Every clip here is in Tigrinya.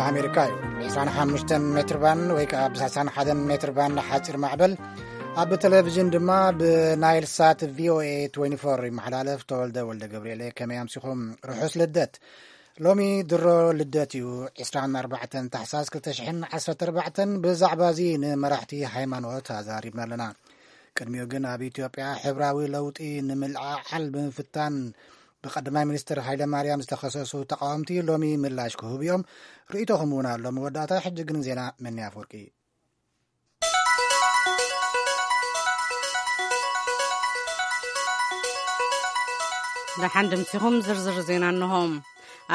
ኣሜሪካ እዩ። ብ25 ሜትር ባንድ ወይ ከዓ ብ31 ሜትር ባንድ ሓፂር ማዕበል፣ ኣብ ቴሌቪዥን ድማ ብናይል ሳት ቪኦኤ 24 ይመሓላለፍ። ተወልደ ወልደ ገብርኤል፣ ከመይ ኣምሲኹም? ርሑስ ልደት። ሎሚ ድሮ ልደት እዩ፣ 24 ታሕሳስ 2014። ብዛዕባ እዚ ንመራሕቲ ሃይማኖት ኣዛሪብና ኣለና። ቅድሚኡ ግን ኣብ ኢትዮጵያ ሕብራዊ ለውጢ ንምልዕዓል ብምፍታን ብቀዳማይ ሚኒስትር ሃይለ ማርያም ዝተኸሰሱ ተቃወምቲ ሎሚ ምላሽ ክህቡ እዮም። ርእይቶኹም እውን ኣሎ መወዳእታ። ሕጂ ግን ዜና መኒ ኣፈወርቂ። ደሓን ድምሲኹም ዝርዝር ዜና እንሆ።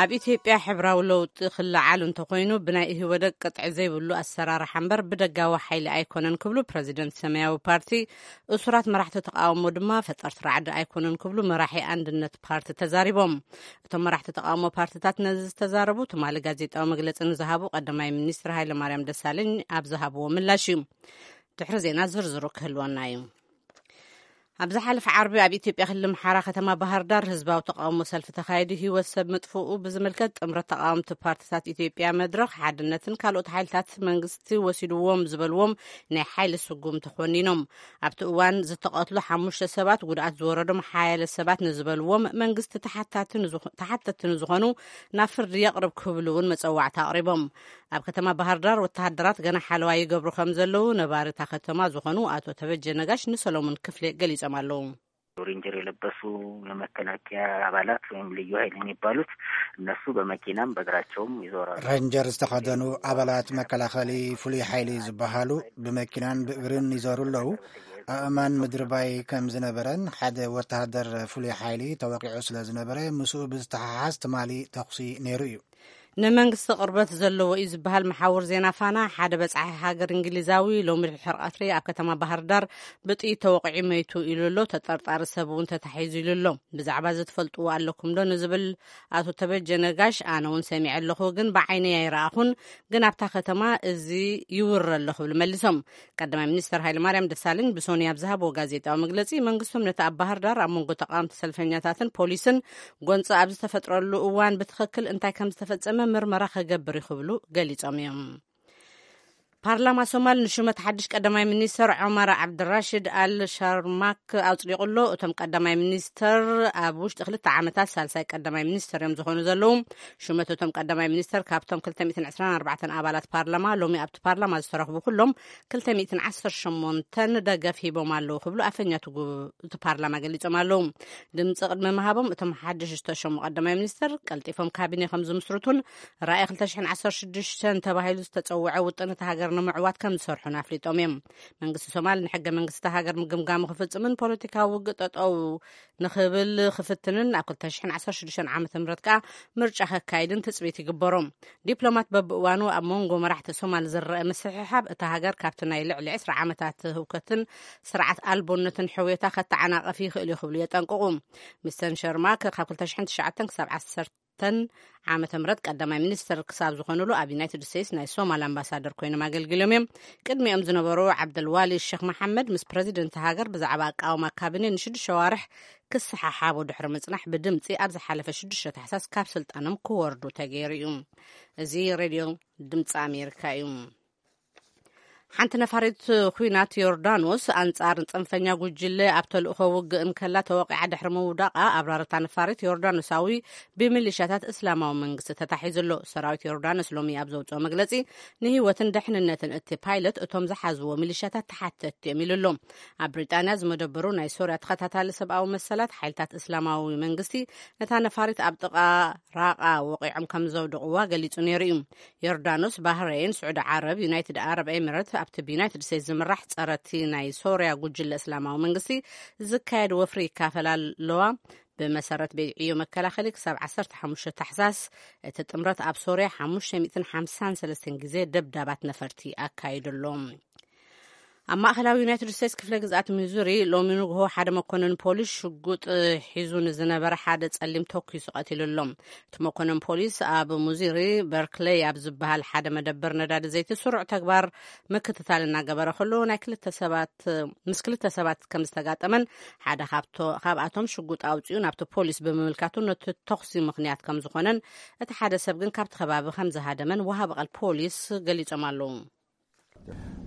ኣብ ኢትዮጵያ ሕብራዊ ለውጢ ክለዓል እንተኾይኑ ብናይ ኢህወደግ ቅጥዒ ዘይብሉ ኣሰራርሓ እምበር ብደጋዊ ሓይሊ ኣይኮነን ክብሉ ፕረዚደንት ሰማያዊ ፓርቲ፣ እሱራት መራሕቲ ተቃውሞ ድማ ፈጠርቲ ራዕዲ ኣይኮነን ክብሉ መራሒ ኣንድነት ፓርቲ ተዛሪቦም። እቶም መራሕቲ ተቃውሞ ፓርቲታት ነዚ ዝተዛረቡ ትማሊ ጋዜጣዊ መግለጺ ንዝሃቡ ቀዳማይ ሚኒስትር ሃይለማርያም ደሳለኝ ኣብ ዝሃብዎ ምላሽ እዩ። ድሕሪ ዜና ዝርዝሩ ክህልወና እዩ። ኣብ ዝሓለፈ ዓርቢ ኣብ ኢትዮጵያ ክልል ኣምሓራ ከተማ ባህር ዳር ህዝባዊ ተቃውሞ ሰልፊ ተኻይዱ ህይወት ሰብ ምጥፍኡ ብዝምልከት ጥምረት ተቃወምቲ ፓርቲታት ኢትዮጵያ መድረኽ ሓድነትን ካልኦት ሓይልታት መንግስቲ ወሲድዎም ዝበልዎም ናይ ሓይሊ ስጉምቲ ኮኒኖም። ኣብቲ እዋን ዝተቐትሉ ሓሙሽተ ሰባት፣ ጉድኣት ዝወረዶም ሓያለ ሰባት ንዝበልዎም መንግስቲ ተሓታቲ ንዝኾ-፣ ተሓተቲ ንዝኾኑ ናብ ፍርዲ የቕርብ ክብሉ እውን መጸዋዕታ ኣቕሪቦም። ኣብ ከተማ ባህር ዳር ወተሃደራት ገና ሓለዋ ይገብሩ ከም ዘለዉ ነባሪ እታ ከተማ ዝኾኑ ኣቶ ተበጀ ነጋሽ ንሰሎሞን ክፍሌ ገሊጾም ኣለዉ። ሬንጀር የለበሱ የመከላከያ አባላት ወይም ልዩ ኃይል የሚባሉት እነሱ በመኪናም በእግራቸውም ይዞራሉ። ሬንጀር ዝተኸደኑ ኣባላት መከላኸሊ ፍሉይ ሓይሊ ዝበሃሉ ብመኪናን ብእግርን ይዞሩ ኣለዉ። ኣእማን ምድርባይ ከም ዝነበረን ሓደ ወተሃደር ፍሉይ ሓይሊ ተወቂዑ ስለ ዝነበረ ምስኡ ብዝተሓሓዝ ትማሊ ተኹሲ ነይሩ እዩ። ንመንግስቲ ቅርበት ዘለዎ እዩ ዝበሃል መሓውር ዜና ፋና፣ ሓደ በጻሒ ሃገር እንግሊዛዊ ሎሚ ድሕሪ ቀትሪ ኣብ ከተማ ባህር ዳር ብጥይት ተወቒዑ መይቱ ኢሉ ኣሎ። ተጠርጣሪ ሰብ እውን ተታሒዙ ኢሉ ኣሎ። ብዛዕባ እዚ ትፈልጥዎ ኣለኩም ዶ ንዝብል ኣቶ ተበጀ ነጋሽ፣ ኣነ እውን ሰሚዐ ኣለኹ፣ ግን ብዓይነይ ኣይረኣኹን፣ ግን ኣብታ ከተማ እዚ ይውረ ኣሎ ክብል መሊሶም። ቀዳማይ ሚኒስተር ሃይለማርያም ደሳለኝ ብሶኒ ኣብ ዝሃብዎ ጋዜጣዊ መግለጺ፣ መንግስቶም ነቲ ኣብ ባህር ዳር ኣብ መንጎ ተቃወምቲ ሰልፈኛታትን ፖሊስን ጎንጺ ኣብ ዝተፈጥረሉ እዋን ብትኽክል እንታይ ከም ዝተፈጸመ ምርመራ ከገብር እዩ ክብሉ ገሊጾም እዮም። ፓርላማ ሶማል ንሹመት ሓድሽ ቀዳማይ ሚኒስተር ዑመር ዓብድራሽድ ኣል ሻርማክ ኣጽዲቑ ኣሎ። እቶም ቀዳማይ ሚኒስተር ኣብ ውሽጢ ክልተ ዓመታት ሳልሳይ ቀዳማይ ሚኒስተር እዮም ዝኾኑ ዘለዉ። ሹመት እቶም ቀዳማይ ሚኒስተር ካብቶም 224 ኣባላት ፓርላማ ሎሚ ኣብቲ ፓርላማ ዝተረኽቡ ኩሎም 215 ደገፍ ሂቦም ኣለዉ ክብሉ ኣፈኛ እቲ ጉ-፣ እቲ ፓርላማ ገሊጾም ኣለዉ። ድምጺ ቅድሚ ምሃቦም እቶም ሓድሽ ዝተሸሙ ቀዳማይ ሚኒስተር ቀልጢፎም ካቢኔ ከም ዝምስርቱን ራእይ 2016 ተባሂሉ ዝተጸውዐ ውጥን እታ ሃገር ንምዕዋት ከም ዝሰርሑን ኣፍሊጦም እዮም። መንግስቲ ሶማል ንሕገ መንግስቲ እታ ሃገር ምግምጋሙ ክፍጽምን ፖለቲካዊ ውግእ ጠጠው ንኽብል ክፍትንን ኣብ 2016 ዓመተ ምህረት ከኣ ምርጫ ከካይድን ትጽቢት ይግበሮ። ዲፕሎማት በብእዋኑ ኣብ መንጎ መራሕቲ ሶማል ዝረአ ምስሕሓብ እታ ሃገር ካብቲ ናይ ልዕሊ 20 ዓመታት ህውከትን ስርዓት ኣልቦነትን ሕውየታ ከተዓናቕፍ ይኽእል እዩ ክብሉ የጠንቅቑ። ሚስተር ሸርማክ ካብ 2009 ክሳብ 10 ዓመተ ምህረት ቀዳማይ ሚኒስትር ክሳብ ዝኾኑሉ ኣብ ዩናይትድ ስቴትስ ናይ ሶማል ኣምባሳደር ኮይኖም ኣገልጊሎም እዮም። ቅድሚኦም ዝነበሩ ዓብደልዋሊ ሸኽ መሓመድ ምስ ፕረዚደንት ሃገር ብዛዕባ ኣቃውማ ካቢኔ ንሽዱሽተ ሸዋርሕ ክሰሓሓቡ ድሕሪ ምጽናሕ ብድምጺ ኣብ ዝሓለፈ ሽዱሽተ ታሕሳስ ካብ ስልጣኖም ክወርዱ ተገይሩ እዩ። እዚ ሬድዮ ድምፂ ኣሜሪካ እዩ። ሓንቲ ነፋሪት ኲናት ዮርዳኖስ ኣንጻር ጽንፈኛ ጉጅለ ኣብ ተልእኾ ውግእ እንከላ ተወቂዓ ድሕሪ ምውዳቓ ኣብራርታ ነፋሪት ዮርዳኖሳዊ ብሚሊሻታት እስላማዊ መንግስቲ ተታሒዙ ኣሎ። ሰራዊት ዮርዳኖስ ሎሚ ኣብ ዘውፅኦ መግለጺ ንህይወትን ድሕንነትን እቲ ፓይለት እቶም ዝሓዝዎ ሚሊሻታት ተሓተትቲ እዮም ኢሉ ኣሎ። ኣብ ብሪጣንያ ዝመደበሩ ናይ ሶርያ ተኸታታሊ ሰብኣዊ መሰላት ሓይልታት እስላማዊ መንግስቲ ነታ ነፋሪት ኣብ ጥቓ ራቓ ወቒዖም ከም ዘውድቕዋ ገሊጹ ነይሩ እዩ። ዮርዳኖስ፣ ባህረይን፣ ስዑዲ ዓረብ፣ ዩናይትድ ዓረብ ኤሚሬት ኣብቲ ብዩናይትድ ስቴትስ ዝምራሕ ጸረቲ ናይ ሶርያ ጉጅለ እስላማዊ መንግስቲ ዝካየድ ወፍሪ ይካፈላ ኣለዋ። ብመሰረት ቤት ዕዮ መከላኸሊ ክሳብ 15 ታሕሳስ እቲ ጥምረት ኣብ ሶርያ 553 ግዜ ደብዳባት ነፈርቲ ኣካይዱ ኣሎ። ኣብ ማእኸላዊ ዩናይትድ ስቴትስ ክፍለ ግዝኣት ሚዙሪ ሎሚ ንግሆ ሓደ መኮንን ፖሊስ ሽጉጥ ሒዙ ንዝነበረ ሓደ ጸሊም ተኲሱ ቀቲሉ ኣሎ። እቲ መኮንን ፖሊስ ኣብ ሙዚሪ በርክለይ ኣብ ዝበሃል ሓደ መደበር ነዳዲ ዘይቲ ስሩዕ ተግባር ምክትታል እናገበረ ከሎ ናይ ክልተ ሰባት ምስ ክልተ ሰባት ከም ዝተጋጠመን ሓደ ካብቶ- ካብኣቶም ሽጉጥ ኣውፂኡ ናብቲ ፖሊስ ብምምልካቱ ነቲ ተኹሲ ምኽንያት ከም ዝኾነን እቲ ሓደ ሰብ ግን ካብቲ ከባቢ ከም ዝሃደመን ወሃቢ ቃል ፖሊስ ገሊጾም ኣለዉ።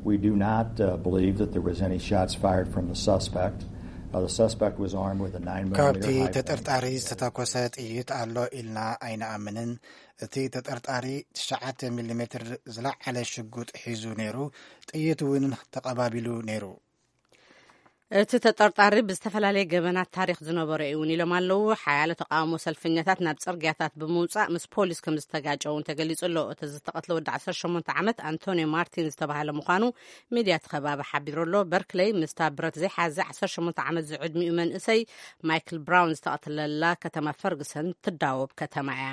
We do not uh, believe that there was any shots fired from the suspect. Uh, the suspect was armed with a nine millimeter. ካብቲ ተጠርጣሪ ዝተተኮሰ ጥይት ኣሎ ኢልና ኣይንኣምንን። እቲ ተጠርጣሪ ትሽዓተ ሚሊ ሜትር ዝለዓለ ሽጉጥ ሒዙ ነይሩ። ጥይት እውን ተቐባቢሉ ነይሩ። እቲ ተጠርጣሪ ብዝተፈላለየ ገበናት ታሪክ ዝነበሮ እዩ እውን ኢሎም ኣለዉ። ሓያሎ ተቃውሞ ሰልፈኛታት ናብ ጽርግያታት ብምውጻእ ምስ ፖሊስ ከም ዝተጋጨ እውን ተገሊጹ ኣሎ። እቲ ዝተቐትለ ወዲ ዓሰርተ ሸሞንተ ዓመት ኣንቶኒዮ ማርቲን ዝተባህለ ምዃኑ ሚድያ እቲ ከባቢ ሓቢሩ ኣሎ። በርክለይ ምስታ ብረት ዘይሓዘ ዓሰርተ ሸሞንተ ዓመት ዝዕድሚኡ መንእሰይ ማይክል ብራውን ዝተቐትለላ ከተማ ፈርግሰን ትዳወብ ከተማ እያ።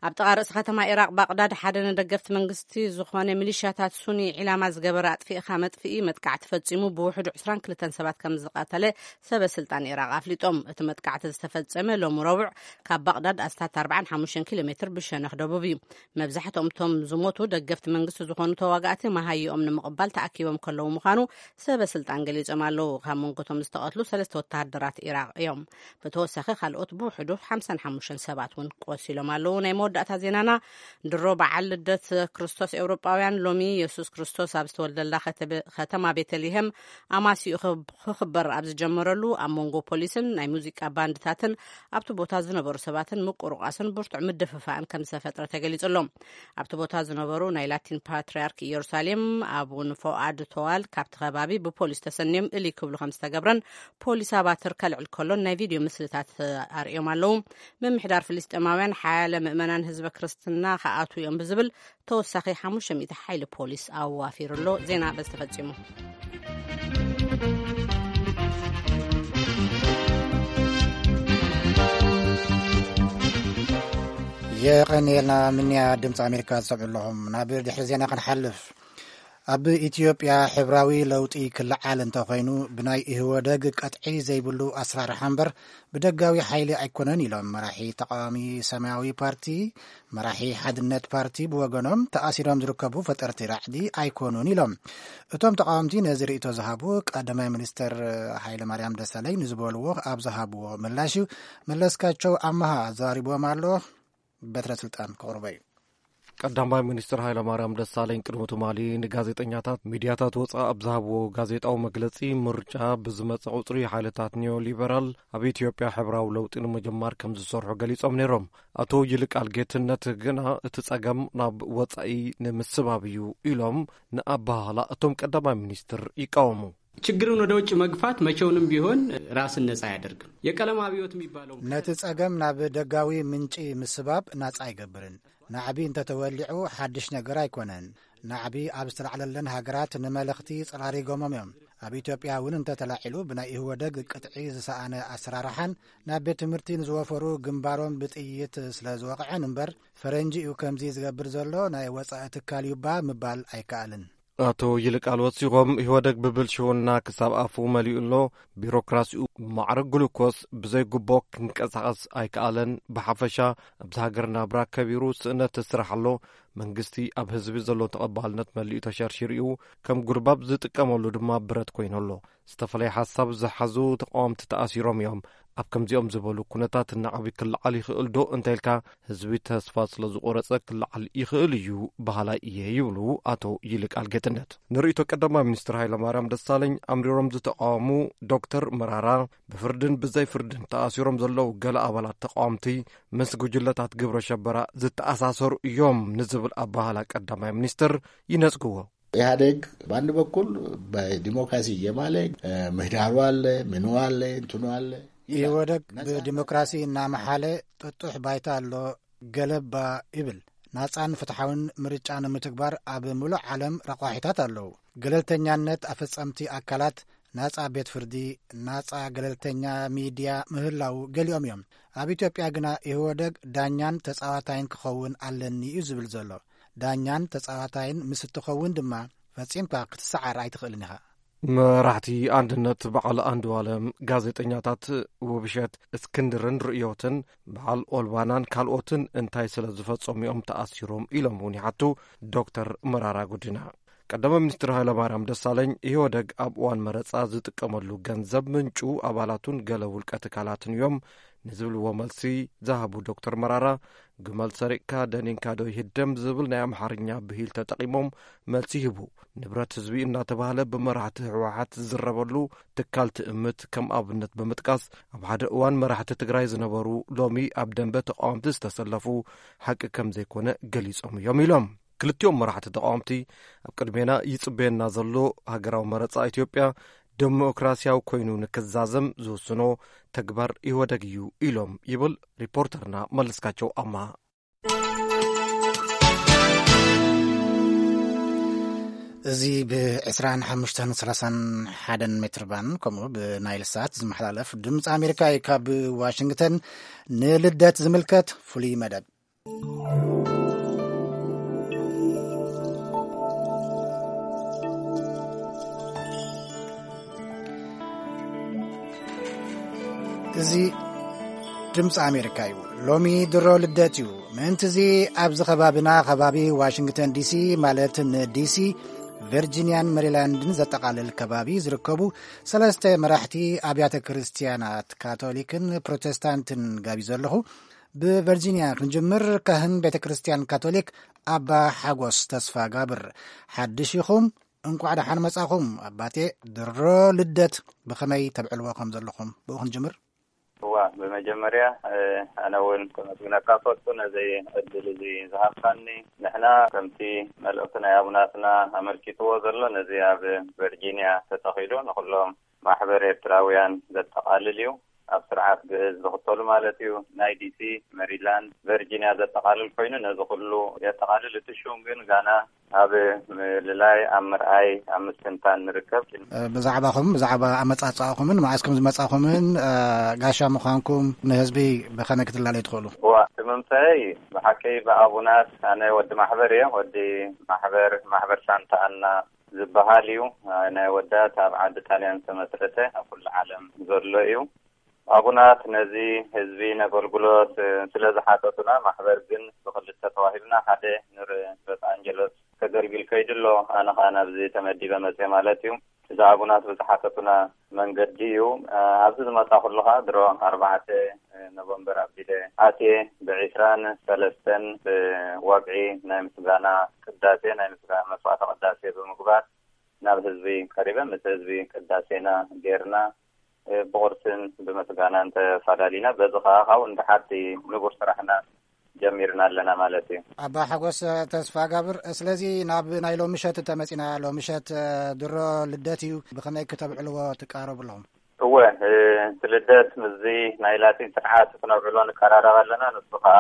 ኣብ ጥቓ ርእሲ ከተማ ኢራቕ ባቕዳድ ሓደ ንደገፍቲ መንግስቲ ዝኾነ ሚሊሽያታት ሱኒ ዒላማ ዝገበረ ኣጥፊእኻ መጥፍኢ መጥቃዕቲ ፈጺሙ ብውሕዱ ዕስራን ክልተን ሰባት ከም ዝቐተለ ሰበ ስልጣን ኢራቕ ኣፍሊጦም። እቲ መጥቃዕቲ ዝተፈጸመ ሎሚ ረቡዕ ካብ ባቕዳድ ኣስታት ኣርባዓን ሓሙሽተን ኪሎ ሜትር ብሸነኽ ደቡብ እዩ። መብዛሕትኦም እቶም ዝሞቱ ደገፍቲ መንግስቲ ዝኾኑ ተዋጋእቲ መሃይኦም ንምቕባል ተኣኪቦም ከለዉ ምዃኑ ሰበ ስልጣን ገሊጾም ኣለዉ። ካብ መንጎቶም ዝተቐትሉ ሰለስተ ወተሃደራት ኢራቕ እዮም። ብተወሳኺ ካልኦት ብውሕዱ ሓምሳን ሓሙሽተን ሰባት እውን ቆሲሎም ኣለዉ። ናይ መወዳእታ ዜናና ድሮ በዓል ልደት ክርስቶስ ኤውሮጳውያን ሎሚ የሱስ ክርስቶስ ኣብ ዝተወልደላ ከተበ- ከተማ ቤተልሔም ኣማሲኡ ክብ- ክኽበር ኣብ ዝጀመረሉ ኣብ መንጎ ፖሊስን ናይ ሙዚቃ ባንድታትን ኣብቲ ቦታ ዝነበሩ ሰባትን ምቁርቋስን ብርቱዕ ምድፍፋእን ከም ዝተፈጥረ ተገሊጹ ኣሎ። ኣብቲ ቦታ ዝነበሩ ናይ ላቲን ፓትርያርክ ኢየሩሳሌም ኣቡን ፎኣድ ቶዋል ካብቲ ከባቢ ብፖሊስ ተሰንዮም እልይ ክብሉ ከም ዝተገብረን ፖሊስ ኣባትር ከልዕል ከሎን ናይ ቪድዮ ምስልታት ኣርእዮም ኣለዉ። ምምሕዳር ፍልስጤማውያን ሓያለ ምእመናን ህዝበ ክርስትና ክኣትዉ እዮም ብዝብል ተወሳኺ ሓሙሽተ ሚእቲ ሓይሊ ፖሊስ ኣዋፊሩ ኣሎ። ዜና በዚ ተፈጺሙ። የቐንየልና ምንያ ድምፂ ኣሜሪካ ዝሰምዑ ኣለኹም። ናብ ድሕሪ ዜና ክንሓልፍ። ኣብ ኢትዮጵያ ሕብራዊ ለውጢ ክለዓል እንተኾይኑ ብናይ ኢህወደግ ቀጥዒ ዘይብሉ ኣስራርሓ እምበር ብደጋዊ ሓይሊ ኣይኮነን ኢሎም መራሒ ተቃዋሚ ሰማያዊ ፓርቲ፣ መራሒ ሓድነት ፓርቲ ብወገኖም ተኣሲሮም ዝርከቡ ፈጠርቲ ራዕዲ ኣይኮኑን ኢሎም። እቶም ተቃወምቲ ነዚ ርእይቶ ዝሃቡ ቀዳማይ ሚኒስተር ሃይለ ማርያም ደሳለኝ ንዝበልዎ ኣብ ዝሃብዎ ምላሽ እዩ። መለስካቸው ኣመሃ ኣዘራሪብዎም ኣሎ። በትረ ስልጣን ክቕርቦ እዩ። ቀዳማይ ሚኒስትር ሃይለማርያም ደሳለኝ ቅድሚ ትማሊ ንጋዜጠኛታት ሚድያታት ወፃእ ኣብ ዝሃብዎ ጋዜጣዊ መግለፂ ምርጫ ብዝመፀ ቁፅሪ ሓይልታት ኒዮ ሊበራል ኣብ ኢትዮጵያ ሕብራዊ ለውጢ ንምጅማር ከም ዝሰርሑ ገሊፆም ነይሮም። ኣቶ ይልቃል ጌትነት ግና እቲ ፀገም ናብ ወፃኢ ንምስባብ እዩ ኢሎም ንኣባህላ እቶም ቀዳማይ ሚኒስትር ይቃወሙ። ችግርን ወደ ውጭ መግፋት መቼውንም ቢሆን ራስን ነጻ አያደርግም። የቀለም አብዮት የሚባለው ነቲ ጸገም ናብ ደጋዊ ምንጪ ምስባብ ናጻ ኣይገብርን። ናዕቢ እንተተወሊዑ ሓድሽ ነገር ኣይኮነን። ናዕቢ ኣብ ዝተላዕለለን ሃገራት ንመለኽቲ ጸራሪጎሞም እዮም። ኣብ ኢትዮጵያ እውን እንተተላዒሉ ብናይ ኢህወደግ ቅጥዒ ዝሰኣነ ኣሰራርሓን ናብ ቤት ትምህርቲ ንዝወፈሩ ግንባሮም ብጥይት ስለ ዝወቕዐን እምበር ፈረንጂ እዩ ከምዚ ዝገብር ዘሎ ናይ ወጻኢ ትካል እዩባ ምባል ኣይከኣልን። ኣቶ ይልቃል ወሲኾም ኢህወደግ ብብልሽውና ክሳብ ኣፉ መሊኡ ኣሎ። ቢሮክራሲኡ ብማዕረ ግሉኮስ ብዘይጉቦ ክንቀሳቐስ ኣይከኣለን። ብሓፈሻ ኣብዚ ሃገር ናብራ ከቢሩ ስእነት ስራሕ ኣሎ። መንግስቲ ኣብ ህዝቢ ዘሎ ተቐባልነት መሊኡ ተሸርሺሩ እዩ። ከም ጉልባብ ዝጥቀመሉ ድማ ብረት ኮይኑ ኣሎ። ዝተፈላለየ ሓሳብ ዝሓዙ ተቃወምቲ ተኣሲሮም እዮም። ኣብ ከምዚኦም ዝበሉ ኩነታት ናዕቢ ክለዓል ይኽእል ዶ እንተኢልካ ህዝቢ ተስፋ ስለ ዝቆረጸ ክለዓል ይኽእል እዩ በሃላይ እየ ይብሉ ኣቶ ይልቃል ጌትነት። ንርእይቶ ቀዳማይ ሚኒስትር ሃይለማርያም ደሳለኝ ኣምሪሮም ዝተቃወሙ ዶክተር መራራ ብፍርድን ብዘይ ፍርድን ተኣሲሮም ዘለዉ ገለ ኣባላት ተቃወምቲ ምስ ጉጅለታት ግብረ ሸበራ ዝተኣሳሰሩ እዮም ንዝብል ኣባህላ ቀዳማይ ሚኒስትር ይነጽግዎ። ኢህአዴግ በአንድ በኩል በዲሞክራሲ እየማለ ምህዳሩ አለ፣ ምኑ አለ፣ እንትኑ አለ። ኢህወደግ ብዲሞክራሲ እናመሓለ ጥጡሕ ባይታ ኣሎ፣ ገለባ ይብል። ናጻን ፍትሓውን ምርጫ ንምትግባር ኣብ ምሉእ ዓለም ረቋሒታት ኣለዉ። ገለልተኛነት ኣፈጸምቲ ኣካላት፣ ናጻ ቤት ፍርዲ፣ ናጻ ገለልተኛ ሚድያ ምህላው ገሊኦም እዮም። ኣብ ኢትዮጵያ ግና ኢህወደግ ዳኛን ተጻዋታይን ክኸውን ኣለኒ እዩ ዝብል ዘሎ። ዳኛን ተጻዋታይን ምስ እትኸውን ድማ ፈጺምካ ክትሰዓር ኣይትኽእልን ኢኻ። መራሕቲ ኣንድነት በዓል ኣንዱዋለም፣ ጋዜጠኛታት ውብሸት እስክንድርን ርእዮትን በዓል ኦልባናን ካልኦትን እንታይ ስለ ዝፈጸሙ እዮም ተኣሲሮም ኢሎም እውን ይሓቱ ዶክተር መራራ ጉዲና። ቀዳማይ ሚኒስትር ሃይለማርያም ደሳለኝ፣ ኢህወደግ ኣብ እዋን መረጻ ዝጥቀመሉ ገንዘብ ምንጩ ኣባላቱን ገለ ውልቀ ትካላትን እዮም ንዝብልዎ መልሲ ዝሃቡ ዶክተር መራራ፣ ግመል ሰሪቕካ ደኒንካ ዶ ይህደም ዝብል ናይ ኣምሓርኛ ብሂል ተጠቒሞም መልሲ ይህቡ። ንብረት ህዝቢ እናተባህለ ብመራሕቲ ህወሓት ዝዝረበሉ ትካል ትእምት ከም ኣብነት ብምጥቃስ፣ ኣብ ሓደ እዋን መራሕቲ ትግራይ ዝነበሩ ሎሚ ኣብ ደንበ ተቃወምቲ ዝተሰለፉ ሓቂ ከም ዘይኮነ ገሊጾም እዮም ኢሎም። ክልቲኦም መራሕቲ ተቃወምቲ፣ ኣብ ቅድሜና ይጽበየና ዘሎ ሃገራዊ መረጻ ኢትዮጵያ ደሞክራሲያዊ ኮይኑ ንክዛዘም ዝውስኖ ተግባር ኢህወደግ እዩ ኢሎም ይብል ሪፖርተርና መለስካቸው ኣማ። እዚ ብ25 ሰላሳን ሓደን ሜትር ባንድ ከምኡ ብናይል ሳት ዝመሓላለፍ ድምፂ ኣሜሪካ እዩ። ካብ ዋሽንግተን ንልደት ዝምልከት ፍሉይ መደብ። እዚ ድምፂ ኣሜሪካ እዩ። ሎሚ ድሮ ልደት እዩ። ምእንቲ እዚ ኣብዚ ከባቢና፣ ከባቢ ዋሽንግተን ዲሲ፣ ማለት ንዲሲ፣ ቨርጂኒያን ሜሪላንድን ዘጠቓልል ከባቢ ዝርከቡ ሰለስተ መራሕቲ ኣብያተ ክርስትያናት ካቶሊክን ፕሮቴስታንትን ጋቢዘ ኣለኹ። ብቨርጂኒያ ክንጅምር፣ ካህን ቤተ ክርስትያን ካቶሊክ ኣባ ሓጎስ ተስፋ ጋብር፣ ሓድሽ ኢኹም፣ እንቋዕ ደሓን መጻኹም። ኣባቴ፣ ድሮ ልደት ብኸመይ ተብዕልዎ ከም ዘለኹም ብኡ ክንጅምር። እዋ፣ ብመጀመርያ፣ እ፣ ኣነ እውን ከመስግነካ ፈቱ ነዚ ዕድል እዚ ዝሃብካኒ። ንሕና ከምቲ መልእኽቲ ናይ ኣቡናትና ኣመልኪትዎ ዘሎ፣ ነዚ ኣብ ቨርጂኒያ ተተኺሉ ንኹሎም ማሕበር ኤርትራውያን ዘጠቓልል እዩ። ኣብ ስርዓት ግእዝ ዝኽተሉ ማለት እዩ። ናይ ዲሲ፣ ሜሪላንድ፣ ቨርጂኒያ ዘጠቓልል ኮይኑ ነዚ ኩሉ የጠቓልል። እቲ ሹም ግን ጋና ኣብ ምልላይ፣ ኣብ ምርኣይ፣ ኣብ ምስትንታን ንርከብ። እ፣ ብዛዕባኹም፣ ብዛዕባ ኣመጻጽኣኹምን መዓስ ከም ዝመጻኹምን፣ እ፣ ጋሻ ምዃንኩም ንህዝቢ ብኸመይ ክትላለዩ ትኽእሉ? እዋ፣ እቲ ምምጻእይ ብሓቂ ብኣቡናት፣ ኣነ ወዲ ማሕበር እየ። ወዲ ማሕበር፣ ማሕበር ሳንታ ኣና ዝበሃል እዩ። ናይ ወዳት ኣብ ዓዲ ጣልያን ዝተመስረተ ኣብ ኩሉ ዓለም ዘሎ እዩ። ኣቡናት ነዚ ህዝቢ ነገልግሎት ስለ ዝሓተቱና፣ ማሕበር ግን ብክልተ ተዋሂብና፣ ሓደ ንሎስ ኣንጀለስ ከገልግል ከይዱ ኣሎ፣ ኣነ ኸኣ ናብዚ ተመዲበ መጽየ ማለት እዩ። እዚ ኣቡናት ብዝሓተቱና መንገዲ እዩ። ኣብዚ ዝመጻ ከለኻ ድሮ ኣርባዕተ ኖቨምበር ኣቢለ ኣትየ፣ ብዒስራን ሰለስተን ብወግዒ ናይ ምስጋና ቅዳሴ፣ ናይ ምስጋ-፣ መስዋዕተ ቅዳሴ ብምግባር ናብ ህዝቢ ቀሪበ፣ ምስ ህዝቢ ቅዳሴና ጌርና፣ እ፣ ብቑርስን ብምስጋናን ተፋላሊና። በዚ ኸኣ ካብኡ ንደሓር እቲ ንቡር ስራሕና ጀሚርና ኣለና ማለት እዩ። ኣባ ሓጎስ ተስፋ ጋብር፣ ስለዚ ናብ ናይ ሎሚ ምሸት እንተመጺና፣ ሎሚ ምሸት፣ እ፣ ድሮ ልደት እዩ። ብኸመይ ክተብዕልዎ ትቃረቡ ኣለኹም? እወ፣ እ፣ እቲ ልደት ምስዚ ናይ ላቲን ስርዓት ክነብዕሎ ንቀራረብ ኣለና። ንሱ ኸኣ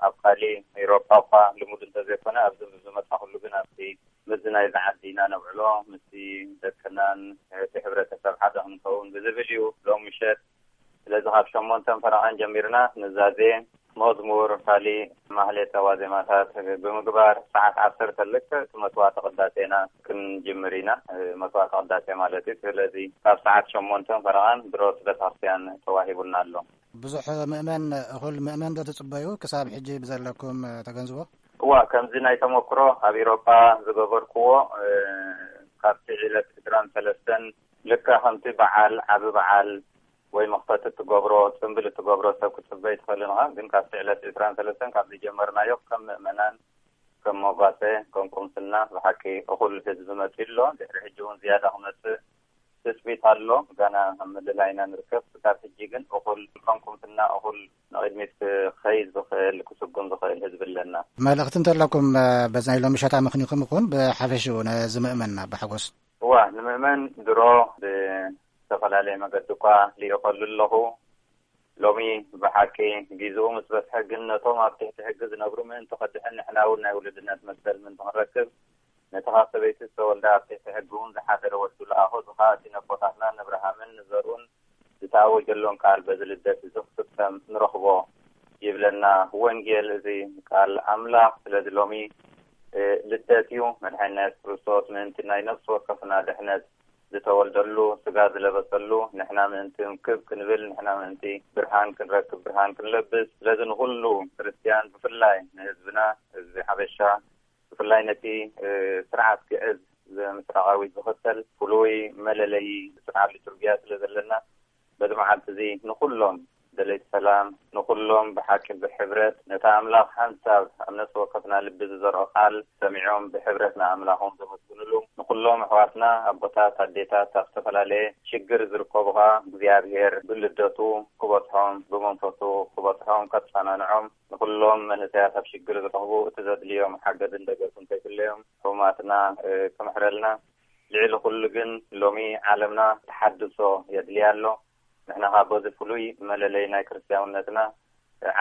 ኣብ ካሊ ኤውሮጳ እኳ ልሙድ እንተዘይኮነ፣ ኣብዚ ዝመጻኹሉ ግን ኣብቲ ምስዚ ናይዚ ዓዲ ኢና ነብዕሎ፣ ምስቲ ደቅናን እቲ ሕብረተሰብ ሓደ ክንከውን ብዝብል እዩ ሎም ምሸት። ስለዚ ካብ ሸሞንተን ፈረቓን ጀሚርና ንዛዜ፣ መዝሙር፣ ካሊእ ማህሌተ ዋዜማታት ብምግባር ሰዓት ዓሰርተ ልክዕ እቲ መስዋዕተ ቅዳሴና ክንጅምር ኢና። መስዋዕተ ቅዳሴ ማለት እዩ። ስለዚ ካብ ሰዓት ሸሞንተን ፈረቓን ድሮ እቲ ቤተክርስትያን ተዋሂቡና ኣሎ። ብዙሕ ምእመን፣ እኹል ምእመን ዶ ትጽበዩ ክሳብ ሕጂ ብዘለኩም ተገንዝቦ? እዋ፣ ከምዚ ናይ ተመክሮ ኣብ ኤውሮጳ ዝገበርክዎ፣ እ፣ ካብቲ ዕለት ዕስራን ሰለስተን ልክዕ ከምቲ በዓል፣ ዓቢ በዓል ወይ መኽፈቲ እትገብሮ፣ ጽምብል እትገብሮ ሰብ ክትጽበ ኣይትኽእልን ኢኻ። ግን ካብቲ ዕለት ዕስራን ሰለስተን ካብ ዝጀመርናዮ ከም ምእመናን፣ ከም መጓሰ፣ ከም ቁምስና ብሓቂ እኹል ህዝቢ መጺኡ ኣሎ። ድሕሪ ሕጂ እውን ዝያዳ ክመጽእ ትጽቢት ኣሎ። ገና ኣብ ምልላይ ኢና ንርከብ። ክሳብ ሕጂ ግን እኹል ከም ቁምስና እኹል ንቕድሚት ክኸይድ ዝኽእል፣ ክስጉም ዝኽእል ህዝቢ ኣለና። መልእኽቲ እንተለኩም፣ እ፣ በዚ ናይ ሎሚ ምሸት ኣመኽኒኹም ይኹን ብሓፈሽኡ ነዚ ምእመንና ብሓጎስ? እዋ፣ ንምእመን ድሮ ብዝተፈላለየ መገዲ እኳ ልኢኸሉ ኣለኹ። ሎሚ ብሓቂ ግዜኡ ምስ በጽሐ ግን ነቶም ኣብ ትሕቲ ሕጊ ዝነብሩ ምእንቲ ከድሕን ንሕና እውን ናይ ውሉድነት መሰል ምእንቲ ክንረክብ ነቲ ካብ ሰበይቲ ዝተወልደ ኣብ ትሕቲ ሕጊ እውን ዝሓደረ ወዱ ለኣኾ። እዚ ኸኣ እቲ ነቦታትና ንእብርሃምን ንዘርኡን ዝተኣወጀሎም ቃል በዚ ልደት እዚ ክፍጸም ንረኽቦ ይብለና ወንጌል፣ እዚ ቃል ኣምላኽ። ስለዚ ሎሚ፣ እ፣ ልደት እዩ። መድሓኒና የሱስ ክርስቶስ ምእንቲ ናይ ነፍሲ ወከፍና ድሕነት ዝተወልደሉ፣ ስጋ ዝለበሰሉ፣ ንሕና ምእንቲ እንክብ ክንብል፣ ንሕና ምእንቲ ብርሃን ክንረክብ፣ ብርሃን ክንለብስ። ስለዚ ንኹሉ ክርስትያን፣ ብፍላይ ንህዝብና፣ ህዝቢ ሓበሻ፣ ብፍላይ ነቲ፣ እ፣ ስርዓት ግዕዝ ዘ-፣ ምስራቃዊ ዝኽተል ፍሉይ መለለዪ ስርዓት ሊቱርጊያ ስለ ዘለና፣ በዚ መዓልቲ እዚ ንኹሎም ደለይቲ ሰላም፣ ንኹሎም ብሓቂ ብሕብረት ነታ ኣምላኽ ሓንሳብ ኣብ ነፍሲ ወከፍና ልቢ ዝዘርኦ ቃል ሰሚዖም ብሕብረት ንኣምላኾም ዘመስግንሉ፣ ንኹሎም ኣሕዋትና ኣቦታት ኣዴታት ኣብ ዝተፈላለየ ሽግር ዝርከቡ ኸኣ እግዚኣብሔር ብልደቱ ክበጽሖም ብመንፈሱ ክበጽሖም ከጸናንዖም፣ ንኹሎም መንእሰያት ኣብ ሽግር ዝረኽቡ እቲ ዘድልዮም ሓገዝን ደገፍን ከይፍለዮም ሕሙማትና፣ እ፣ ክምሕረልና። ልዕሊ ኩሉ ግን ሎሚ ዓለምና ተሓድሶ የድልያ ኣሎ። ንሕና ኸኣ በዚ ፍሉይ መለለይ ናይ ክርስትያውነትና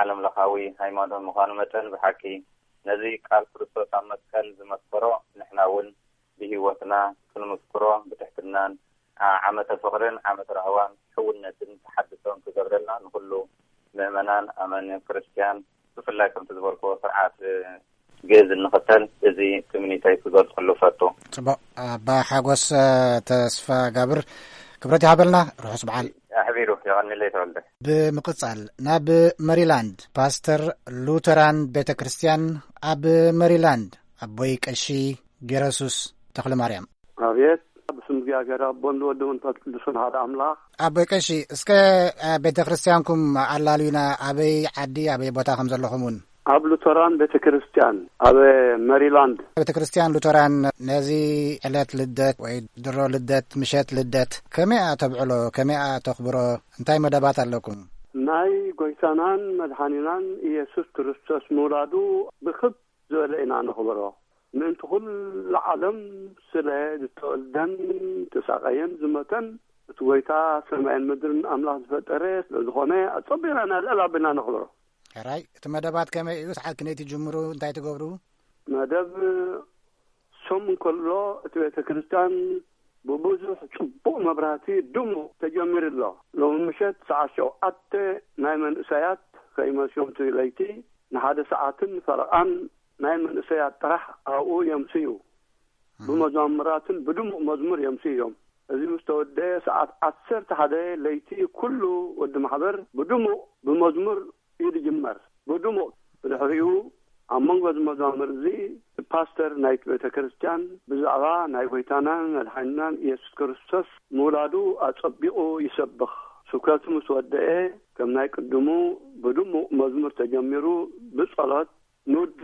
ዓለም ለኻዊ ሃይማኖት ምዃኑ መጠን ብሓቂ ነዚ ቃል ክርስቶስ ኣብ መስቀል ዝመስከሮ ንሕና እውን ብህይወትና ክንምስክሮ ብትሕትናን ዓ-፣ ዓመተ ፍቕርን ዓመተ ራህዋን ሕውነትን ተሓድሶን ክገብረልና ንኹሉ ምእመናን ኣመን ክርስትያን ብፍላይ ከምቲ ዝበልክዎ ስርዓት ግእዝ እንኽተል እዚ ትምኒተይ ክገልጸሉ ፈቱ። ጽቡቕ ኣባ ሓጎስ፣ እ፣ ተስፋ ጋብር ክብረት ይሃበልና። ርሑስ በዓል። ኣሕቢሩ የቐንለይ ተወልደ። ብምቕጻል ናብ መሪላንድ ፓስተር ሉተራን ቤተ ክርስቲያን ኣብ መሪላንድ ኣቦይ ቀሺ ጌረሱስ ተኽለ ማርያም። ኣብየት። ብስም እግዚኣብሔር ኣቦን ወዲ መንፈስ ቅዱስን ሓደ ኣምላኽ። ኣቦይ ቀሺ፣ እስከ፣ እ፣ ቤተ ክርስቲያንኩም ኣላልዩና፣ ኣበይ ዓዲ፣ ኣበይ ቦታ ከም ዘለኹም እውን? ኣብ ሉተራን ቤተ ክርስቲያን ኣብ መሪላንድ። ቤተ ክርስቲያን ሉተራን ነዚ ዕለት ልደት ወይ ድሮ ልደት፣ ምሸት ልደት ከመይ እያ ተብዕሎ? ከመይ እያ ተኽብሮ? እንታይ መደባት ኣለኩም? ናይ ጎይታናን መድሓኒናን ኢየሱስ ክርስቶስ ምውላዱ ብኽብ ዝበለ ኢና ነኽብሮ። ምእንቲ ኩሉ ዓለም ስለ ዝተወልደን ተሳቐየን ዝሞተን እቲ ጎይታ ሰማይን ምድርን ኣምላኽ ዝፈጠረ ስለ ዝኾነ ኣጸቢቕና ልዕል ኣቢልና ነኽብሮ። ሕራይ፣ እቲ መደባት ከመይ እዩ? ሰዓት ክንደይ ትጅምሩ? እንታይ ትገብሩ? መደብ ሶም እንከሎ እቲ ቤተ ክርስቲያን ብብዙሕ ጽቡቕ መብራህቲ ድሙቕ ተጀሚሩ ኣሎ። ሎሚ ምሸት ሰዓት ሸውዓተ ናይ መንእሰያት ከይመስዮም እቲ ለይቲ ንሓደ ሰዓትን ፈረቓን ናይ መንእሰያት ጥራሕ ኣብኡ የምስዩ። ብመዛሙራትን ብድሙቕ መዝሙር የምስዩ እዮም። እዚ ምስ ተወደአ ሰዓት ዓሰርተ ሓደ ለይቲ ኩሉ ወዲ ማሕበር ብድሙቕ ብመዝሙር እዩ ዝጅመር። ብድሙቕ ብድሕሪኡ ኣብ መንጎ እዚ መዛሙር እዚ ፓስተር ናይቲ ቤተ ክርስቲያን ብዛዕባ ናይ ጎይታናን መድሓኒናን ኢየሱስ ክርስቶስ ምውላዱ ኣጸቢቑ ይሰብኽ። ስብከቱ ምስ ወደአ ከም ናይ ቅድሙ ብድሙቕ መዝሙር ተጀሚሩ ብጸሎት ንውድ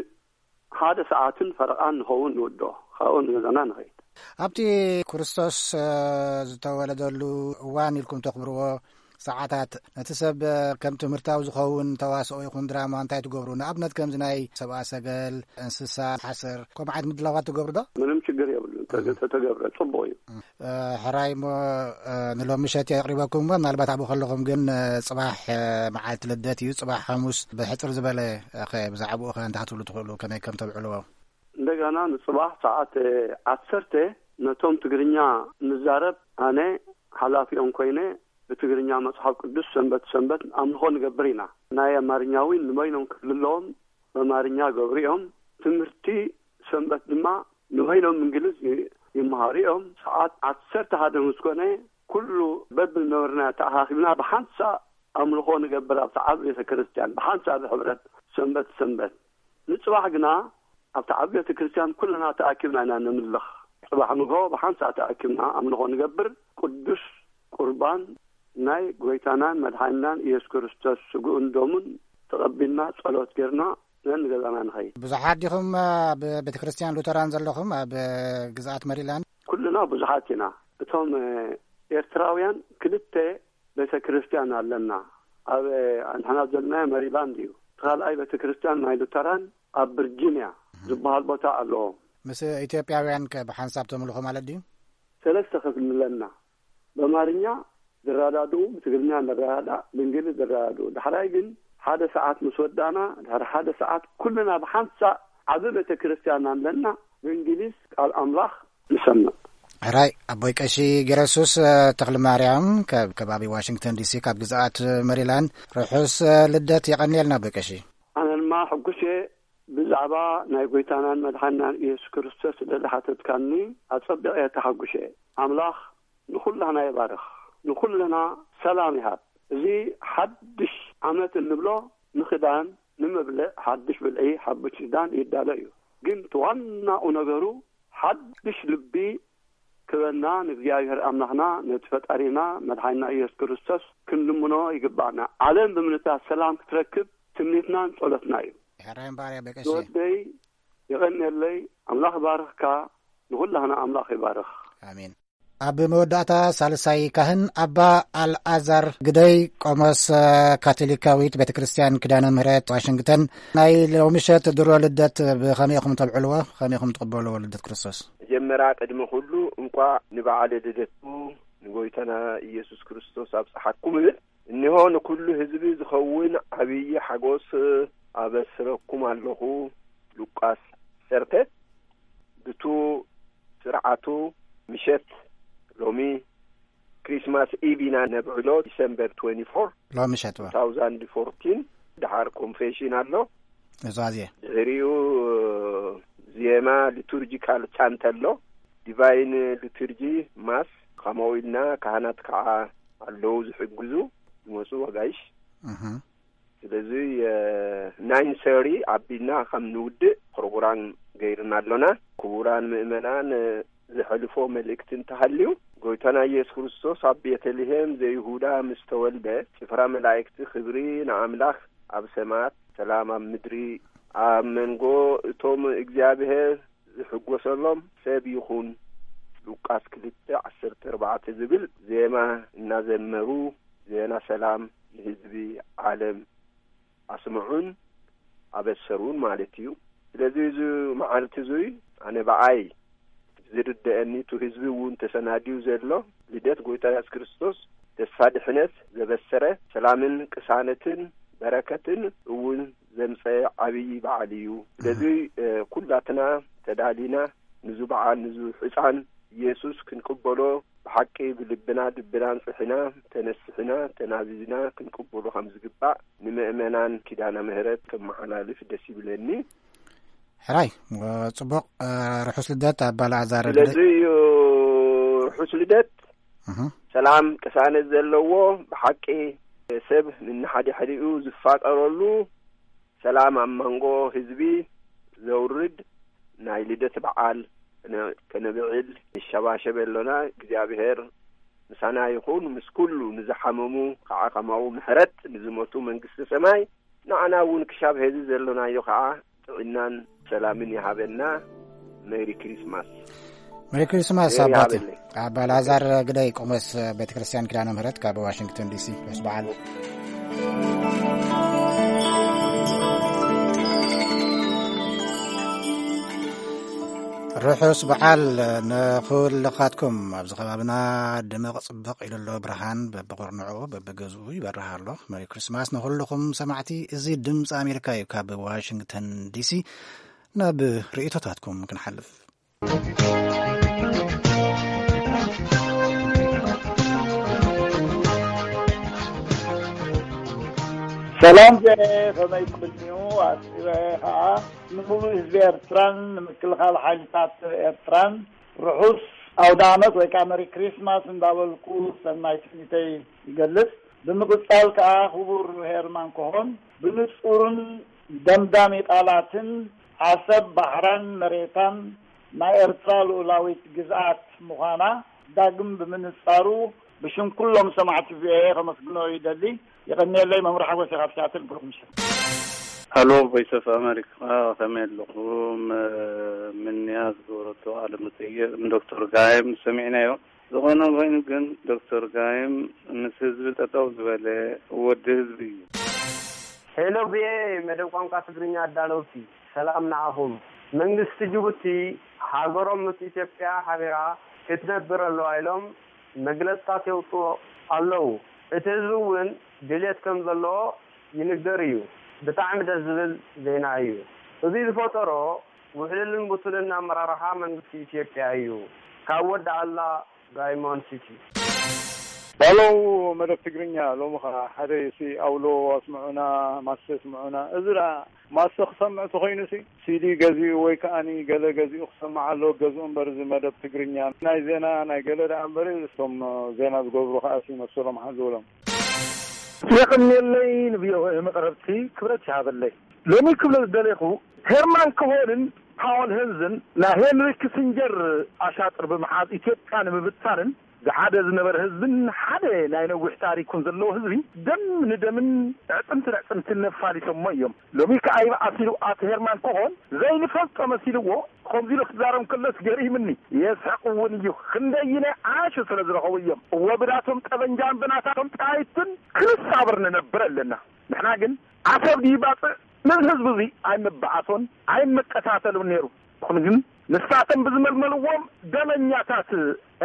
ሓደ ሰዓትን ፈረቓን ንኸውን ንውዶ፣ ካብኡ ንገዛና ንኸይድ። ኣብቲ ክርስቶስ፣ እ፣ ዝተወለደሉ እዋን ኢልኩም ተኽብርዎ ሰዓታት፣ ነቲ ሰብ፣ እ፣ ከም ትምህርታዊ ዝኸውን ተዋስኦ ይኹን ድራማ እንታይ ትገብሩ? ንኣብነት ከምዚ ናይ ሰብኣ ሰገል፣ እንስሳ፣ ሓሰር፣ ከምኡ ዓይነት ምድላዋት ትገብሩ ዶ? ምንም ችግር የብሉን። ተ-፣ እም። ተተገብረ ጽቡቕ እዩ። እም። እ፣ ሕራይ እሞ፣ እ፣ ንሎሚ ምሸት የቕሪበኩም እሞ፣ ምናልባት ኣብኡ ከለኹም ግን፣ እ፣ ጽባሕ፣ እ፣ መዓልቲ ልደት እዩ። ጽባሕ ሓሙስ ብሕጽር ዝበለ፣ እ፣ ኸ ብዛዕባኡ ኸ እንታይ ክትብሉ ትኽእሉ? ከመይ ከም ተብዕልዎ? እንደገና ንጽባሕ ሰዓት ዓሰርተ ነቶም ትግርኛ ንዛረብ፣ ኣነ ሓላፊኦም ኮይነ ብትግርኛ መጽሓፍ ቅዱስ ሰንበት ሰንበት ኣምልኾ ንገብር ኢና። ናይ ኣማርኛ እውን ንበይኖም ክፍሊ ኣለዎም፣ በማርኛ ገብሩ እዮም። ትምህርቲ ሰንበት ድማ ንበይኖም እንግሊዝ ይ-፣ ይመሃሩ እዮም። ሰዓት ዓሰርተ ሓደ ምስ ኮነ ኩሉ በብነበርና ተኣኻኺብና ብሓንሳእ ኣምልኾ ንገብር ኣብቲ ዓቢ ቤተ ክርስቲያን፣ ብሓንሳእ ብሕብረት ሰንበት ሰንበት። ንጽባሕ ግና ኣብቲ ዓቢ ቤተ ክርስቲያን ኩልና ተኣኪብና ኢና ነምልኽ። ጽባሕ ንግሆ ብሓንሳእ ተኣኪብና ኣምልኾ ንገብር። ቅዱስ ቁርባን ናይ ጎይታናን መድሓኒናን ኢየሱስ ክርስቶስ ስግኡን ደሙን ተቐቢልና ጸሎት ጌርና ነንገዛና ንኸይድ። ብዙሓት ዲኹም ኣብ ቤተ ክርስቲያን ሉተራን ዘለኹም ኣብ ግዝኣት መሪላንድ? ኩልና ብዙሓት ኢና። እቶም ኤርትራውያን ክልተ ቤተ ክርስቲያን ኣለና። ኣብ ንሕና ዘለናዮ መሪላንድ እዩ። እቲ ካልኣይ ቤተ ክርስቲያን ናይ ሉተራን ኣብ ቭርጂንያ ዝበሃል ቦታ ኣለዎም። ምስ ኢትዮጵያውያን ከ ብሓንሳብ ተምልኹ ማለት ድዩ? ሰለስተ ክፍሊ ኣለና። በማርኛ ዝረዳድኡ፣ ብትግርኛ ንረዳዳእ፣ ብእንግሊዝ ዝረዳድኡ። ዳሕራይ ግን ሓደ ሰዓት ምስ ወዳእና፣ ድሕሪ ሓደ ሰዓት ኩልና ብሓንሳእ ዓቢ ቤተ ክርስቲያን ኣለና፣ ብእንግሊዝ ቃል ኣምላኽ ንሰምዕ። ሕራይ ኣቦይ ቀሺ ገረሱስ፣ እ፣ ተኽለ ማርያም ካብ ከባቢ ዋሽንግተን ዲሲ ካብ ግዝኣት መሪላንድ፣ ርሑስ፣ እ፣ ልደት የቐንየልና ኣቦይ ቀሺ። ኣነ ድማ ሕጉስ እየ ብዛዕባ ናይ ጎይታናን መድሓናን ኢየሱስ ክርስቶስ ስለ ዝሓተትካኒ ኣጸቢቐ እየ ተሓጒሰ። ኣምላኽ ንኹላህና ይባርኽ፣ ንኹልና ሰላም ይሃብ። እዚ ሓድሽ ዓመት እንብሎ ንኽዳን፣ ንምብልዕ ሓድሽ ብልዒ፣ ሓድሽ ክዳን ይዳሎ እዩ። ግን እቲ ዋናኡ ነገሩ ሓድሽ ልቢ ክበና ንእግዚኣብሔር ኣምላኽና፣ ነቲ ፈጣሪና መድሓኒና ኢየሱስ ክርስቶስ ክንልምኖ ይግባእና። ዓለም ብምንታ ሰላም ክትረክብ ትምኒትናን ጸሎትና እዩ። ሕራይ እምበኣር እያ በቀሺ። ዝወደይ የቐንየለይ፣ ኣምላኽ ይባርኽካ፣ ንኹላህና ኣምላኽ ይባርኽ። ኣሜን። ኣብ መወዳእታ ሳልሳይ ካህን ኣባ ኣልኣዛር ግደይ ቆሞስ ካቶሊካዊት ቤተ ክርስቲያን ኪዳነ ምህረት ዋሽንግተን ናይ ሎምሸት ድሮ ልደት ብኸመይ ኢኹም ተብዕልዎ? ከመይ ኢኹም ትቕበልዎ ልደት ክርስቶስ? መጀመርያ ቅድሚ ኩሉ እንቋዕ ንበዓለ ልደቱ ንጎይታና ኢየሱስ ክርስቶስ ኣብጽሓኩም እብል። እነሆ ንኩሉ ህዝቢ ዝኸውን ዓብዪ ሓጎስ ኣበስረኩም ኣለኹ። ሉቃስ ዓሰርተ። ብቱ ስርዓቱ ምሸት ሎሚ ክሪስማስ ኢቭ ኢና ነብዕሎ፣ ዲሰምበር ትዌንቲ ፎር ሎሚ ምሸት ወር። Two thousand fourteen። ደሓር ኮንፌሽን ኣሎ። እዛዜ ድሕሪኡ ዜማ ሊቱርጂካል ቻንት ኣሎ፣ ዲቫይን ሊቱርጂ ማስ። ከምኡ ኢልና ካህናት ከዓ ኣለዉ ዝሕግዙ ዝመፁ ወጋይሽ። እህ። ስለዚ ናይን ሰሪ ኣቢልና ከም ንውድእ ፕሮግራም ገይርና ኣሎና። ክቡራን ምእመናን፣ ዘሕልፎ መልእክቲ እንተሃልዩ፣ ጎይታና ኢየሱስ ክርስቶስ ኣብ ቤተልሔም ዘይሁዳ ምስ ተወልደ፣ ጭፍራ መላእክቲ ክብሪ ንኣምላኽ ኣብ ሰማያት፣ ሰላም ኣብ ምድሪ። ኣብ መንጎ እቶም እግዚኣብሔር ዝሕጎሰሎም ሰብ ይኹን። ሉቃስ ክልተ ዓሰርተ ኣርባዕተ ዝብል ዜማ እናዘመሩ፣ ዜና ሰላም ንህዝቢ ዓለም ኣስምዑን ኣበሰሩን ማለት እዩ። ስለዚ እዚ መዓልቲ እዙይ ኣነ ብኣይ ዝርደአኒ፣ እቲ ህዝቢ እውን ተሰናድዩ ዘሎ ልደት ጎይታ የሱስ ክርስቶስ ተስፋ ድሕነት ዘበሰረ፣ ሰላምን ቅሳነትን በረከትን እውን ዘምፀ ዓብዪ በዓል እዩ። ስለዚ፣ እ፣ ኩላትና ተዳሊና ንዙ በዓል፣ ንዙ ሕፃን ኢየሱስ ክንቅበሎ ብሓቂ ብልብና፣ ልብና ኣንጽሒና፣ ተነስሒና፣ ተናዚዝና ክንቅበሎ ከም ዝግባእ ንምእመናን ኪዳነ ምህረት ከመሓላልፍ ደስ ይብለኒ። ሕራይ፣ ጽቡቕ፣ እ፣ ርሑስ ልደት ኣባ ኣልዓዛር። ስለዚ እዩ ርሑስ ልደት። እህ። ሰላም ቅሳነት ዘለዎ፣ ብሓቂ ሰብ ንሓድሕዲኡ ዝፋቀረሉ፣ ሰላም ኣብ መንጎ ህዝቢ ዘውርድ ናይ ልደት በዓል ከነ-፣ ከነብዕል ንሸባሸብ ኣሎና። እግዚኣብሔር ምሳና ይኹን፣ ምስ ኩሉ፣ ንዝሓመሙ ከዓ ከማኡ ምሕረት፣ ንዝሞቱ መንግስቲ ሰማይ፣ ንዓና እውን ክሻብ ሄዚ ዘሎናዮ ከዓ ጥዕናን ሰላምን ይሃበና። ሜሪ ክሪስማስ። ሜሪ ክሪስማስ ሜሪ ኣባቴ። ይሃበለይ። ኣባ ላዛር ግዳይ ቆሞስ ቤተ ክርስቲያን ኪዳነ ምህረት ካብ ዋሽንግተን ዲሲ። ርሑስ በዓል። ርሑስ በዓል ንኹልኻትኩም። ኣብዚ ከባብና ድምቕ ጽብቕ ኢሉ ኣሎ ብርሃን፣ በብቑርንዑ በብገዝኡ ይበርህ ኣሎ። መሪ ክሪስማስ ንኹልኹም ሰማዕቲ። እዚ ድምፂ ኣሜሪካ እዩ። ካብ ዋሽንግተን ዲሲ ናብ ርእይቶታትኩም ክንሓልፍ። ሰላም ዜ፣ ከመይ ትቕንዩ? ኣስዒበ ኸዓ ንሙሉእ ህዝቢ ኤርትራን ንምክልኻል ሓይልታት ኤርትራን ርሑስ ኣውደ ዓመት ወይ ከዓ መሪ ክሪስማስ እንዳበልኩ ሰናይ ትምኒተይ ይገልጽ። ብምቕጻል ከዓ ክቡር ሄርማን ኮሆን ብንጹርን ደምዳሚ ቃላትን ዓሰብ ባሕራን መሬታን ናይ ኤርትራ ልኡላዊት ግዝኣት ምዃና ዳግም ብምንጻሩ ብሽም ኩሎም ሰማዕቲ ቪኦኤ ከመስግኖ ይደሊ። የቐንየለይ። መምህር ሓጎስ ካብ ሲያትል። ብሩኽ ምሸት። ሃሎ ቮይስ ኦፍ ኣሜሪካ፣ ከመይ ኣለኹም? ምንያ ዝገበረቶ ቃለ መጠይቕ ንዶክተር ጋይም ሰሚዕናዮ። ዝኾነ ኮይኑ ግን ዶክተር ጋይም ምስ ህዝቢ ጠጠው ዝበለ ወዲ ህዝቢ እዩ። ሄሎ ቪኦኤ መደብ ቋንቋ ትግርኛ ኣዳለውቲ፣ ሰላም ንዓኹም። መንግስቲ ጅቡቲ ሃገሮም ምስ ኢትዮጵያ ሓቢራ ክትነብር ኣለዋ ኢሎም መግለጽታት የውፅኡ ኣለዉ። እቲ ህዝቢ እውን ድሌት ከም ዘለዎ ይንገር እዩ። ብጣዕሚ ደስ ዝብል ዜና እዩ። እዚ ዝፈጠሮ ውሕሉልን ብቱልን ኣመራርሓ መንግስቲ ኢትዮጵያ እዩ። ካብ ወዲ ኣላ ዳይሞንድ ሲቲ። ሄሎ መደብ ትግርኛ ሎሚ ኸዓ ሓደ ሲ ኣውሎ ኣስምዑና፣ ማሰ ኣስምዑና። እዚ ደኣ ማሰ ክሰምዕ ተኾይኑ ሲ ሲዲ ገዚኡ ወይ ከዓኒ ገለ ገዚኡ ክሰምዕ ኣለዎ፣ ገዝኡ እምበር እዚ መደብ ትግርኛ ናይ ዜና ናይ ገለ ደኣ እምበር እቶም ዜና ዝገብሩ ኸዓ ሲ መሰሎም ሓዝብሎም። የቐንየለይ ንቪኦኤ መቕረብቲ ክብረት ይሃበለይ። ሎሚ ክብለ ዝደለኹ ሄርማን ኮሆንን ፓወል ሄንዝን ናይ ሄንሪ ኪሲንጀር ኣሻጥር ብምሓዝ ኢትዮጵያ ንምብታንን ዝሓደ ዝነበረ ህዝብን ሓደ ናይ ነዊሕ ታሪኩን ዘለዎ ህዝቢ ደም ንደምን ኣዕጽምቲ ንኣዕጽምትን ነፋሊቶሞ እዮም። ሎሚ ከኣ ይብዓስ ኢሉ ኣቶ ሄርማን ኮሆን ዘይንፈልጦ መሲልዎ ከምዚ ኢሉ ክዛረብ ከሎስ ገሪምኒ። የስሕቕ እውን እዩ። ክንደይናይ ዓሹ ስለ ዝረኸቡ እዮም። እወ ብናቶም ጠበንጃን ብናታቶም ጣይትን ክንሳብር ንነብር ኣለና። ንሕና ግን ዓሰብ ድዩ ባጽዕ ነዚ ህዝቢ እዚ ኣይምበኣሶን ኣይመቀታተሉን ነይሩ። ይኹን ግን ንሳቶም ብዝመልመልዎም ደመኛታት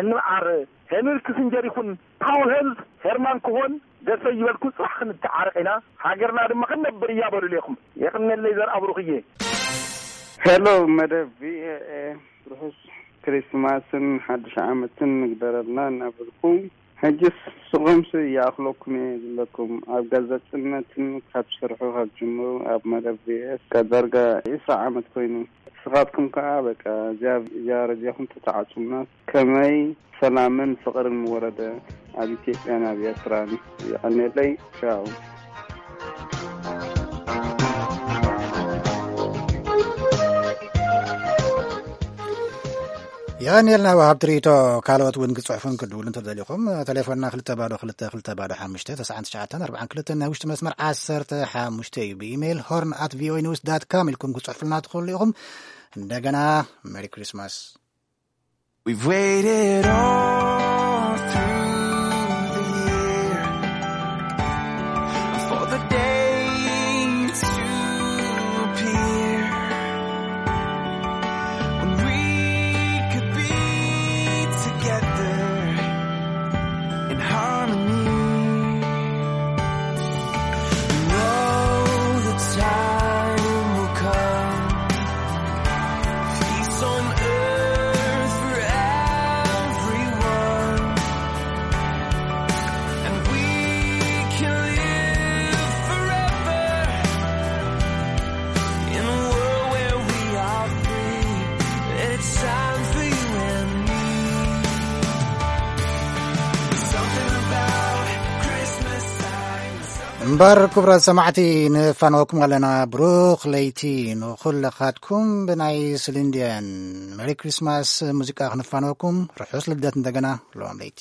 እንበዓር ሄንሪ ኪሲንጀር ይኹን ፓውል ሄንዝ ሄርማን ክሆን ደሰ ይበልኩ ጽባሕ ክንተዓረቕ ኢና፣ ሃገርና ድማ ክንነብር እያ በሉ ኢለኹም። የቕነለይ ዘርኣ ብሩኽዬ። ሄሎ መደብ ቪኦኤ ርሑስ ክሪስማስን ሓድሽ ዓመትን ንግደረልና እናበልኩ ሕጅስ ስቑምሲ ይኣኽለኩም እየ ዝብለኩም። ኣብ ጋዜጠኝነትን ካብ ትሰርሑ ካብ ጅምሩ ኣብ መደብ ቪኦኤ ዳርጋ ዒስራ ዓመት ኮይኑ። ንስኻትኩም ከኣ በቃ እዚኣ እዚኣ ረድዮኹም ተተዓጹና ከመይ ሰላምን ፍቕርን ምወረደ ኣብ ኢትዮጵያን ኣብ ኤርትራን። የቐንየለይ። ቻው። የቐንየልና ወሃብቲ ርእይቶ። ካልኦት እውን ክጽሕፉን ክድውሉ እንተደሊኹም፣ ቴሌፎንና ክልተ ባዶ ክልተ ክልተ ባዶ ሓሙሽተ ተስዓን ትሽዓተን ኣርባዓን ክልተን ናይ ውሽጢ መስመር ዓሰርተ ሓሙሽተ እዩ። ብኢሜይል ሆርን ኣት ቪኦኤ ኒውስ ዳት ካም ኢልኩም ክጽሕፉልና ትኽእሉ ኢኹም። እንደገና ሜሪ ክሪስማስ። We've waited all through the year for the day to appear when we could be together in harmony. Know the time will come, peace on earth for everyone, and we can live forever in a world where we are free. It's time for you and me. Something about Christmas time. እምበር ክቡራት ሰማዕቲ፣ ንፋነወኩም ኣለና። ብሩኽ ለይቲ ንኹልኻትኩም። ብናይ ስሊንድየን ሜሪ ክሪስማስ ሙዚቃ ክንፋነወኩም። ርሑስ ልደት እንደገና ሎም ለይቲ።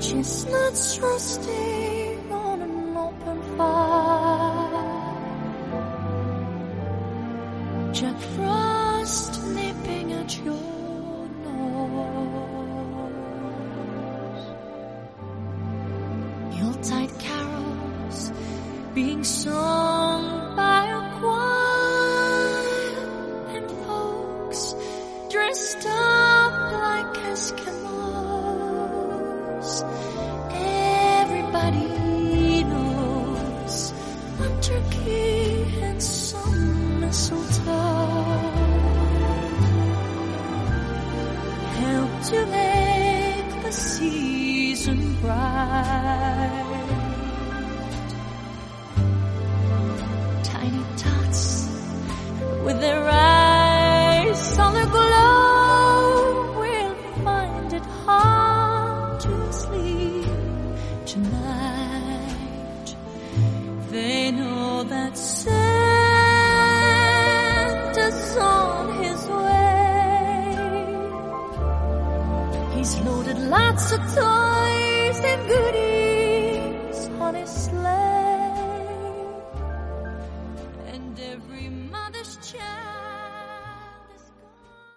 Chestnuts roasting on an open fire. Jack Frost nipping at your nose. Yuletide carols being sung by a choir and folks dressed up like Eskimos. Everybody knows a turkey and some mistletoe help to make the season bright. Tiny tots with their eyes on the glow will find it hard to sleep tonight. They know that Santa's on his way. He's loaded lots of toys and goodies on his sleigh. And every mother's child is gone.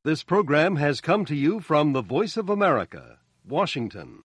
This program has come to you from the Voice of America, Washington.